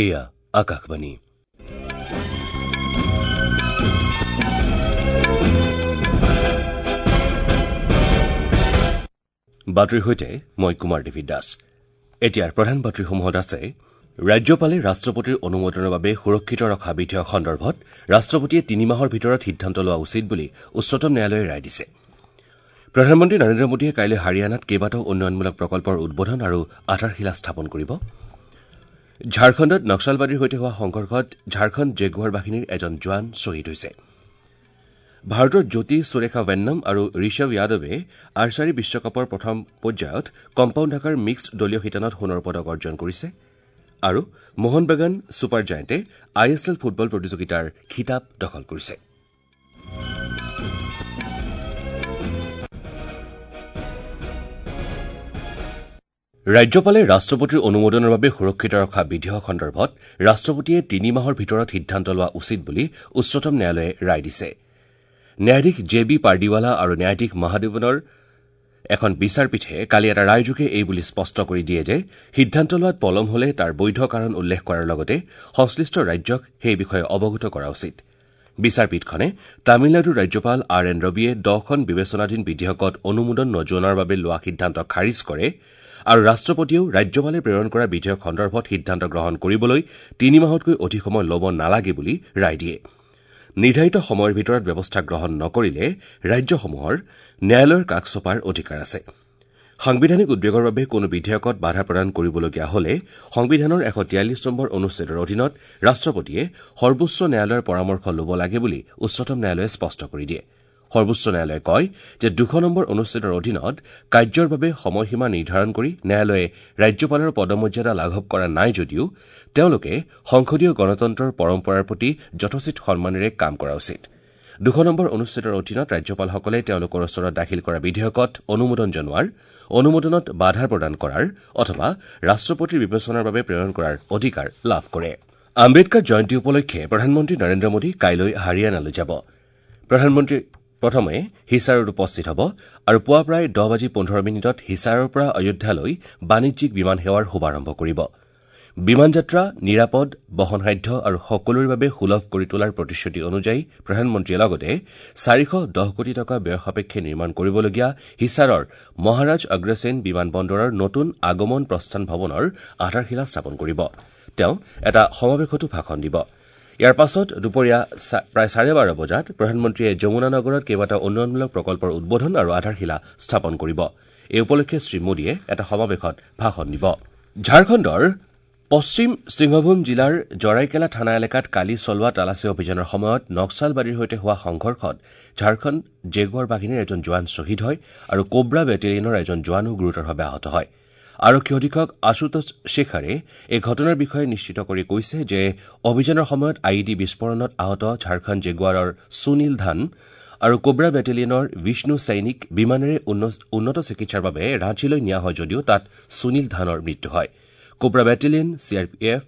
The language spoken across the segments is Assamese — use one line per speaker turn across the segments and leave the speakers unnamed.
এয়া আকাশবাণী। বাতৰিৰ সৈতে মই কুমাৰ দেৱী দাস। এতিয়াৰ প্ৰধান বাতৰিসমূহত আছে: ৰাজ্যপালে ৰাষ্ট্ৰপতিৰ অনুমোদনৰ বাবে সুৰক্ষিত ৰখা বিধেয়ক সন্দৰ্ভত ৰাষ্ট্ৰপতিয়ে 3 মাহৰ ভিতৰত সিদ্ধান্ত লোৱা উচিত বুলি উচ্চতম ন্যায়ালয়ে ৰায় দিছে। প্ৰধানমন্ত্ৰী নৰেন্দ্ৰ মোদীয়ে কাইলৈ হাৰিয়ানাত কেইবাটাও উন্নয়নমূলক প্ৰকল্পৰ উদ্বোধন আৰু আধাৰশিলা স্থাপন কৰিব। ঝাৰখণ্ডত নক্সালবাদীৰ সৈতে হোৱা সংঘৰ্ষত ঝাৰখণ্ড জেগুৱাৰ বাহিনীৰ এজন জোৱান শ্বহীদ হৈছে। ভাৰতৰ জ্যোতি সুৰেখা ভেন্নম আৰু ঋষভ যাদৱে আৰ্চাৰী বিশ্বকাপৰ প্ৰথম পৰ্যায়ত কম্পাউণ্ড শাখাৰ মিক্সড দলীয় শিতানত সোণৰ পদক অৰ্জন কৰিছে। আৰু মোহন বাগান ছুপাৰ জায়েণ্টে I S L football প্ৰতিযোগিতাৰ খিতাপ দখল কৰিছে। ৰাজ্যপালে ৰাষ্ট্ৰপতিৰ অনুমোদনৰ বাবে সুৰক্ষিত ৰখা বিধেয়ক সন্দৰ্ভত ৰাষ্ট্ৰপতিয়ে 3 মাহৰ ভিতৰত সিদ্ধান্ত লোৱা উচিত বুলি উচ্চতম ন্যায়ালয়ে ৰায় দিছে। ন্যায়াধীশ জে বি পাৰ্ডিৱালা আৰু ন্যায়াধীশ মহাদেৱনৰ এখন বিচাৰপীঠে কালি এটা ৰায়যোগে এই বুলি স্পষ্ট কৰি দিয়ে যে সিদ্ধান্ত লোৱাত পলম হলে তাৰ বৈধ কাৰণ উল্লেখ কৰাৰ লগতে সংশ্লিষ্ট ৰাজ্যক সেই বিষয়ে অৱগত কৰা উচিত। বিচাৰপীঠখনে তামিলনাডুৰ ৰাজ্যপাল আৰ এন ৰবিয়ে 10খন বিবেচনাধীন বিধেয়কত অনুমোদন নজনোৱাৰ বাবে লোৱা সিদ্ধান্ত খাৰিজ কৰে আৰু ৰাষ্ট্ৰপতিয়েও ৰাজ্যপালে প্ৰেৰণ কৰা বিধেয়ক সন্দৰ্ভত সিদ্ধান্ত গ্ৰহণ কৰিবলৈ 3 মাহতকৈ অধিক সময় ল'ব নালাগে বুলি ৰায় দিয়ে। নিৰ্ধাৰিত সময়ৰ ভিতৰত ব্যৱস্থা গ্ৰহণ নকৰিলে ৰাজ্যসমূহৰ ন্যায়ালয়ৰ কাষ চপাৰ অধিকাৰ আছে। সাংবিধানিক উদ্বেগৰ বাবে কোনো বিধেয়কত বাধা প্ৰদান কৰিবলগীয়া হলে সংবিধানৰ 143 নম্বৰ অনুচ্ছেদৰ অধীনত ৰাষ্ট্ৰপতিয়ে সৰ্বোচ্চ ন্যায়ালয়ৰ পৰামৰ্শ ল'ব লাগে বুলি উচ্চতম ন্যায়ালয়ে স্পষ্ট কৰি দিয়ে। সৰ্বোচ্চ ন্যায়ালয়ে কয় যে 200 নম্বৰ অনুচ্ছেদৰ অধীনত কাৰ্যৰ বাবে সময়সীমা নিৰ্ধাৰণ কৰি ন্যায়ালয়ে ৰাজ্যপালৰ পদমৰ্যাদা লাঘৱ কৰা নাই যদিও তেওঁলোকে সংসদীয় গণতন্ত্ৰৰ পৰম্পৰাৰ প্ৰতি যথোচিত সন্মানেৰে কাম কৰা উচিত। 200 নম্বৰ অনুচ্ছেদৰ অধীনত ৰাজ্যপালসকলে তেওঁলোকৰ ওচৰত দাখিল কৰা বিধেয়কত অনুমোদন জনোৱাৰ, অনুমোদনত বাধা প্ৰদান কৰাৰ অথবা ৰাষ্ট্ৰপতিৰ বিবেচনাৰ বাবে প্ৰেৰণ কৰাৰ অধিকাৰ লাভ কৰে। আম্বেদকাৰ জয়ন্তী উপলক্ষে প্ৰধানমন্ত্ৰী নৰেন্দ্ৰ মোদী কাইলৈ হাৰিয়ানালৈ যাব। প্ৰধানমন্ত্ৰী প্ৰথমে হিছাৰত উপস্থিত হ'ব আৰু পুৱা প্ৰায় 10:15 হিছাৰৰ পৰা অযোধ্যালৈ বাণিজ্যিক বিমান সেৱাৰ শুভাৰম্ভ কৰিব। বিমান যাত্ৰা নিৰাপদ, বহনসাধ্য আৰু সকলোৰে বাবে সুলভ কৰি তোলাৰ প্ৰতিশ্ৰুতি অনুযায়ী প্ৰধানমন্ত্ৰীয়ে লগতে 410 কোটি টকা ব্যয় সাপেক্ষে নিৰ্মাণ কৰিবলগীয়া হিছাৰৰ মহাৰাজ অগ্ৰসেন বিমান বন্দৰৰ নতুন আগমন প্ৰস্থান ভৱনৰ আধাৰশিলা স্থাপন কৰিব। তেওঁ এটা সমাৱেশতো ভাষণ দিব। ইয়াৰ পাছত দুপৰীয়া প্ৰায় 12:30 বজাত প্ৰধানমন্ত্ৰীয়ে যমুনা নগৰত কেইবাটাও উন্নয়নমূলক প্ৰকল্পৰ উদ্বোধন আৰু আধাৰশিলা স্থাপন কৰিব। এই উপলক্ষে শ্ৰীমোদীয়ে এটা সমাৱেশত ভাষণ দিব। ঝাৰখণ্ডৰ পশ্চিম সিংহভূম জিলাৰ জৰাইকেলা থানা এলেকাত কালি চলোৱা তালাচী অভিযানৰ সময়ত নক্সালবাদীৰ সৈতে হোৱা সংঘৰ্ষত ঝাৰখণ্ড জেগুৱাৰ বাহিনীৰ এজন জোৱান শ্বহীদ হয় আৰু কোব্ৰা বেটেলিয়নৰ এজন জোৱানো গুৰুতৰভাৱে আহত হয়। আৰক্ষী অধীক্ষক আশুতোষ শেখাৰে এই ঘটনাৰ বিষয়ে নিশ্চিত কৰি কৈছে যে অভিযানৰ সময়ত I E D বিস্ফোৰণত আহত ঝাৰখণ্ড জেগুৱাৰৰ সুনীল ধান আৰু কোব্ৰা বেটেলিয়নৰ বিষ্ণু সৈনিক বিমানেৰে উন্নত চিকিৎসাৰ বাবে ৰাঁচীলৈ নিয়া হয় যদিও তাত সুনীল ধানৰ মৃত্যু হয়। Cobra battalion, C R P F,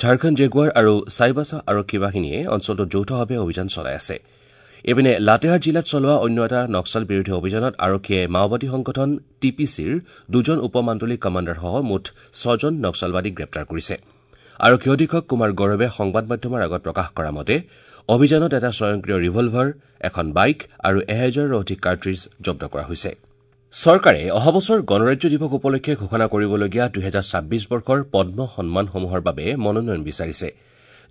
Jharkhand Jaguar আৰু চাইবাছা আৰক্ষী বাহিনীয়ে অঞ্চলটোত যৌথভাৱে অভিযান চলাই আছে। ইপিনে লাটেহাৰ জিলাত চলোৱা অন্য এটা নক্সাল বিৰোধী অভিযানত আৰক্ষীয়ে মাওবাদী সংগঠন টি পি চিৰ 2জন উপ মাণ্ডলিক কমাণ্ডাৰসহ মুঠ 6জন নক্সালবাদীক গ্ৰেপ্তাৰ কৰিছে। আৰক্ষী অধীক্ষক কুমাৰ গৌৰৱে সংবাদ মাধ্যমৰ আগত প্ৰকাশ কৰা মতে অভিযানত এটা স্বয়ংক্ৰিয় ৰিভলভাৰ, এখন বাইক আৰু 1000ৰো অধিক কাৰ্ট্ৰিজ জব্দ কৰা হৈছে। চৰকাৰে অহা বছৰ গণৰাজ্য দিৱস উপলক্ষে ঘোষণা কৰিবলগীয়া 2026 বৰ্ষৰ পদ্ম সন্মানসমূহৰ বাবে মনোনয়ন বিচাৰিছে।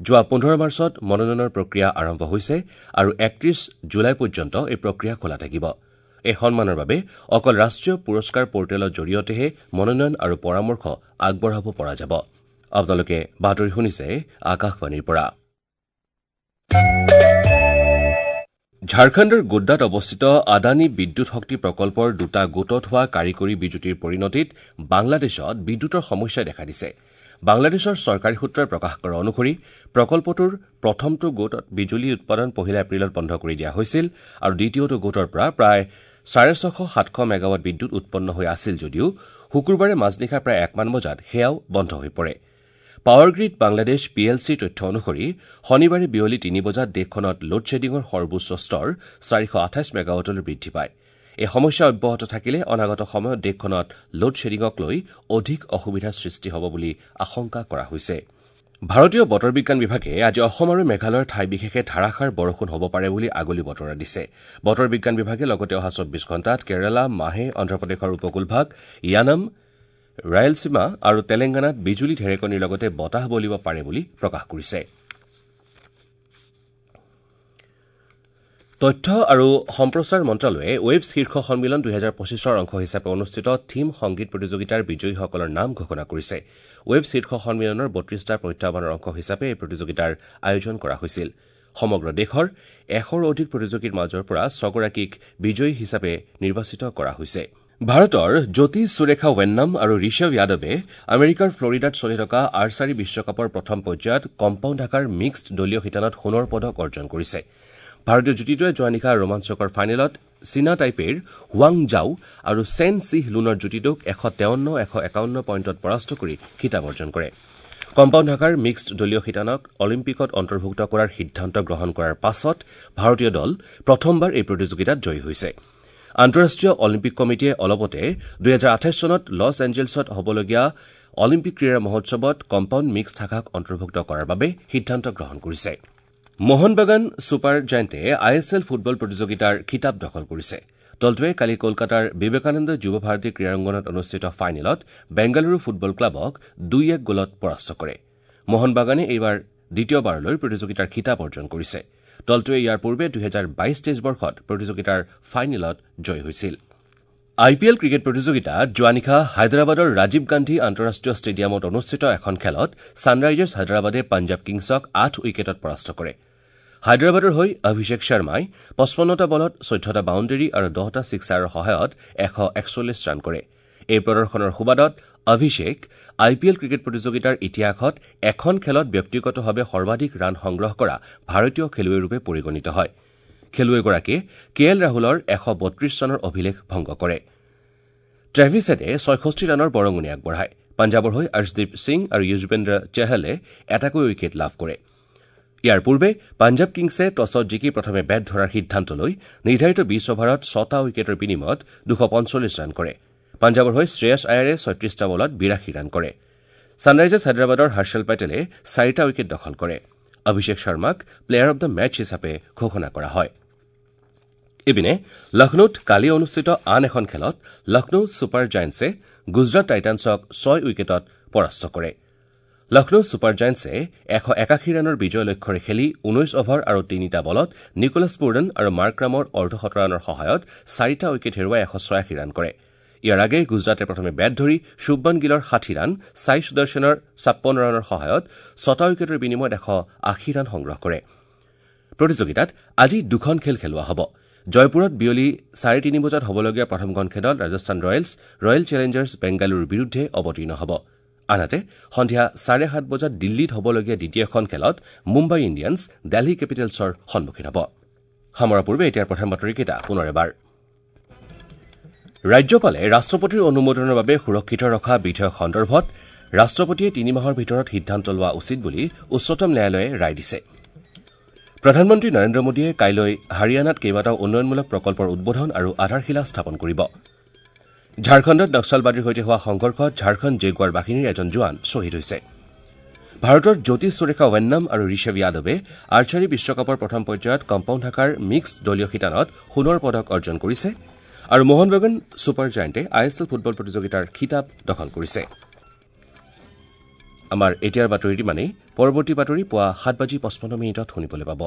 যোৱা 15 মাৰ্চত মনোনয়নৰ প্ৰক্ৰিয়া আৰম্ভ হৈছে আৰু 31 জুলাই পৰ্যন্ত এই প্ৰক্ৰিয়া খোলা থাকিব। এই সন্মানৰ বাবে অকল ৰাষ্ট্ৰীয় পুৰস্কাৰ পৰ্টেলৰ জৰিয়তেহে মনোনয়ন আৰু পৰামৰ্শ আগবঢ়াব পৰা যাব। আপোনালোকে বাতৰি শুনিছে আকাশবাণীৰ পৰা। ঝাৰখণ্ডৰ গোড্ডাত অৱস্থিত আদানী বিদ্যুৎ শক্তি প্ৰকল্পৰ দুটা গোটত হোৱা কাৰিকৰী বিজুতিৰ পৰিণতিত বাংলাদেশত বিদ্যুতৰ সমস্যাই দেখা দিছে। বাংলাদেশৰ চৰকাৰী সূত্ৰই প্ৰকাশ কৰা অনুসৰি প্ৰকল্পটোৰ প্ৰথমটো গোটত বিজুলী উৎপাদন 1 এপ্ৰিলত বন্ধ কৰি দিয়া হৈছিল আৰু দ্বিতীয়টো গোটৰ পৰা প্ৰায় 650-700 মেগাৱাট বিদ্যুৎ উৎপন্ন হৈ আছিল যদিও শুকুৰবাৰে মাজনিশা প্ৰায় 1মান বজাত সেয়াও বন্ধ হৈ পৰে। Power grid Bangladesh P L চিৰ তথ্য অনুসৰি শনিবাৰে বিয়লি 3 বজাত দেশখনত লোডশ্বেডিঙৰ সৰ্বোচ্চ স্তৰ 428 মেগাৱাটলৈ বৃদ্ধি পায়। এই সমস্যা অব্যাহত থাকিলে অনাগত সময়ত দেশখনত লোডশ্বেডিঙক লৈ অধিক অসুবিধাৰ সৃষ্টি হ'ব বুলি আশংকা কৰা হৈছে। ভাৰতীয় বতৰ বিজ্ঞান বিভাগে আজি অসম আৰু মেঘালয়ৰ ঠাই বিশেষে ধাৰাসাৰ বৰষুণ হ'ব পাৰে বুলি আগলি বতৰা দিছে। বতৰ বিজ্ঞান বিভাগে লগতে অহা 24 ঘণ্টাত কেৰালা, মাহে, অন্ধ্ৰপ্ৰদেশৰ উপকূলভাগ, য়ানম, ৰায়েলসীমা আৰু তেলেংগানাত বিজুলী ঢেৰেকনিৰ লগতে বতাহ বলিব পাৰে বুলি প্ৰকাশ কৰিছে। তথ্য আৰু সম্প্ৰচাৰ মন্ত্ৰালয়ে ৱেবছ শীৰ্ষ সন্মিলন 2025ৰ অংশ হিচাপে অনুষ্ঠিত থীম সংগীত প্ৰতিযোগিতাৰ বিজয়ীসকলৰ নাম ঘোষণা কৰিছে। ৱেবছ শীৰ্ষ সন্মিলনৰ 32টা প্ৰত্যাহ্বানৰ অংশ হিচাপে এই প্ৰতিযোগিতাৰ আয়োজন কৰা হৈছিল। সমগ্ৰ দেশৰ 100ৰো অধিক প্ৰতিযোগীৰ মাজৰ পৰা 6গৰাকীক বিজয়ী হিচাপে নিৰ্বাচিত কৰা হৈছে। ভাৰতৰ জ্যোতি সুৰেখা ৱেন্নাম আৰু ঋষভ যাদৱে আমেৰিকাৰ ফ্লৰিডাত চলি থকা আৰ্চাৰী বিশ্বকাপৰ প্ৰথম পৰ্যায়ত কম্পাউণ্ড শাখাৰ মিক্সড দলীয় শিতানত সোণৰ পদক অৰ্জন কৰিছে। ভাৰতীয় যুটীটোৱে যোৱা নিশা ৰোমাঞ্চকৰ ফাইনেলত চীনা টাইপেৰ হুৱাং জাও আৰু চেন চিহ লুনৰ যুটীটোক 153-151 পইণ্টত পৰাস্ত কৰি খিতাপ অৰ্জন কৰে। কম্পাউণ্ড শাখাৰ মিক্সড দলীয় শিতানক অলিম্পিকত অন্তৰ্ভুক্ত কৰাৰ সিদ্ধান্ত গ্ৰহণ কৰাৰ পাছত ভাৰতীয় দল প্ৰথমবাৰ এই প্ৰতিযোগিতাত জয়ী হৈছে। আন্তঃৰাষ্ট্ৰীয় অলিম্পিক কমিটিয়ে অলপতে 2028 চনত লছ এঞ্জেলছত হ'বলগীয়া অলিম্পিক ক্ৰীড়া মহোৎসৱত কম্পাউণ্ড মিক্সড শাখাক অন্তৰ্ভুক্ত কৰাৰ বাবে সিদ্ধান্ত গ্ৰহণ কৰিছে। মোহনবাগান ছুপাৰ জায়েণ্টে I S L football প্ৰতিযোগিতাৰ খিতাপ দখল কৰিছে। দলটোৱে কালি কলকাতাৰ বিবেকানন্দ যুৱ ভাৰতী ক্ৰীড়াংগনত অনুষ্ঠিত ফাইনেলত বেংগালুৰু ফুটবল ক্লাবক 2-1 গ'লত পৰাস্ত কৰে। মোহনবাগানে এইবাৰ দ্বিতীয়বাৰলৈ প্ৰতিযোগিতাৰ খিতাপ অৰ্জন কৰিছে। দলটোৱে ইয়াৰ পূৰ্বে 2022-23 বৰ্ষত প্ৰতিযোগিতাৰ ফাইনেলত জয়ী হৈছিল। আই পি এল ক্ৰিকেট প্ৰতিযোগিতাত যোৱা নিশা হায়দৰাবাদৰ ৰাজীৱ গান্ধী আন্তঃৰাষ্ট্ৰীয় ষ্টেডিয়ামত অনুষ্ঠিত এখন খেলত ছানৰাইজাৰ্ছ হায়দৰাবাদে পাঞ্জাৱ কিংছক 8 উইকেটত পৰাস্ত কৰে। হায়দৰাবাদৰ হৈ অভিষেক শৰ্মাই 55টা বলত 14টা বাউণ্ডেৰী আৰু 10টা ছিক্সাৰৰ সহায়ত 141 ৰান কৰে। এই প্ৰদৰ্শনৰ সুবাদত Abhishek I P L cricket প্ৰতিযোগিতাৰ ইতিহাসত এখন খেলত ব্যক্তিগতভাৱে সৰ্বাধিক ৰান সংগ্ৰহ কৰা ভাৰতীয় খেলুৱৈৰূপে পৰিগণিত হয়। খেলুৱৈগৰাকীয়ে কে এল ৰাহুলৰ 132 ৰানৰ অভিলেখ ভংগ কৰে। ট্ৰেভিছ হেডে 66 ৰানৰ বৰঙণি আগবঢ়ায়। পাঞ্জাৱৰ হৈ অৰ্শদীপ সিং আৰু য়ুজবেন্দ্ৰ চেহলে এটাকৈ উইকেট লাভ কৰে। ইয়াৰ পূৰ্বে পাঞ্জাৱ কিংছে টছত জিকি প্ৰথমে বেট ধৰাৰ সিদ্ধান্ত লৈ নিৰ্ধাৰিত 20 অভাৰত 6টা উইকেটৰ বিনিময়ত 245 ৰান কৰে। পাঞ্জাৱৰ হৈ শ্ৰেয়স আয়াৰে 36টা বলত 82 ৰান কৰে। ছানৰাইজাৰ্ছ হায়দৰাবাদৰ হৰ্ষল পেটেলে 4টা উইকেট দখল কৰে। অভিষেক শৰ্মাক প্লেয়াৰ অব the match হিচাপে ঘোষণা কৰা হয়। ইপিনে লক্ষ্ণৌত কালি অনুষ্ঠিত আন এখন খেলত লক্ষ্ণৌ ছুপাৰ জায়েণ্টছে গুজৰাট টাইটানছক 6 উইকেটত পৰাস্ত কৰে। লক্ষ্ণৌ ছুপাৰ জায়েণ্টছে 181 ৰানৰ বিজয় লক্ষ্যৰে খেলি 19 অভাৰ আৰু 3টা বলত নিকোলাছ পুৰন আৰু মাৰ্ক্ৰামৰ অৰ্ধশত ৰানৰ সহায়ত 4টা উইকেট হেৰুৱাই 186 ৰান কৰে। ইয়াৰ আগে গুজৰাটে প্ৰথমে বেট ধৰি শুভমন গিলৰ 60 ৰান, ছাই সুদৰ্শনৰ 56 ৰানৰ সহায়ত 6টা উইকেটৰ বিনিময়ত 180 ৰান সংগ্ৰহ কৰে। প্ৰতিযোগিতাত আজি দুখন খেল খেলোৱা হ'ব। জয়পুৰত বিয়লি 3:30 বজাত হ'বলগীয়া প্ৰথমখন খেলত ৰাজস্থান ৰয়েলছ ৰয়েল চেলেঞ্জাৰ্ছ বেংগালুৰুৰ বিৰুদ্ধে অৱতীৰ্ণ হ'ব। আনহাতে সন্ধিয়া 7:30 বজাত দিল্লীত হ'বলগীয়া দ্বিতীয়খন খেলত মুম্বাই ইণ্ডিয়ানছ দিল্লী কেপিটেলছৰ সন্মুখীন হ'ব। সামৰাৰ পূৰ্বে এতিয়াৰ প্ৰথম বাতৰিকেইটা পুনৰ এবাৰ। ৰাজ্যপালে ৰাষ্ট্ৰপতিৰ অনুমোদনৰ বাবে সুৰক্ষিত ৰখা বিধেয়ক সন্দৰ্ভত ৰাষ্ট্ৰপতিয়ে 3 মাহৰ ভিতৰত সিদ্ধান্ত লোৱা উচিত বুলি উচ্চতম ন্যায়ালয়ে ৰায় দিছে। প্ৰধানমন্ত্ৰী নৰেন্দ্ৰ মোদীয়ে কাইলৈ হাৰিয়ানাত কেইবাটাও উন্নয়নমূলক প্ৰকল্পৰ উদ্বোধন আৰু আধাৰশিলা স্থাপন কৰিব। ঝাৰখণ্ডত নক্সালবাদীৰ সৈতে হোৱা সংঘৰ্ষত ঝাৰখণ্ড জেগুৱাৰ বাহিনীৰ এজন জোৱান শ্বহীদ হৈছে। ভাৰতৰ জ্যোতি সুৰেখা ৱেন্নাম আৰু ঋষভ যাদৱে আৰ্চাৰী বিশ্বকাপৰ প্ৰথম পৰ্যায়ত কম্পাউণ্ড শাখাৰ মিক্সড দলীয় শিতানত সোণৰ পদক অৰ্জন কৰিছে আৰু মোহনবাগান ছুপাৰ জায়েণ্টে I S L football প্ৰতিযোগিতাৰ খিতাপ দখল কৰিছে। আমাৰ এতিয়াৰ বাতৰি ইমানেই। পৰৱৰ্তী বাতৰি পুৱা 7:55 শুনিবলৈ পাব।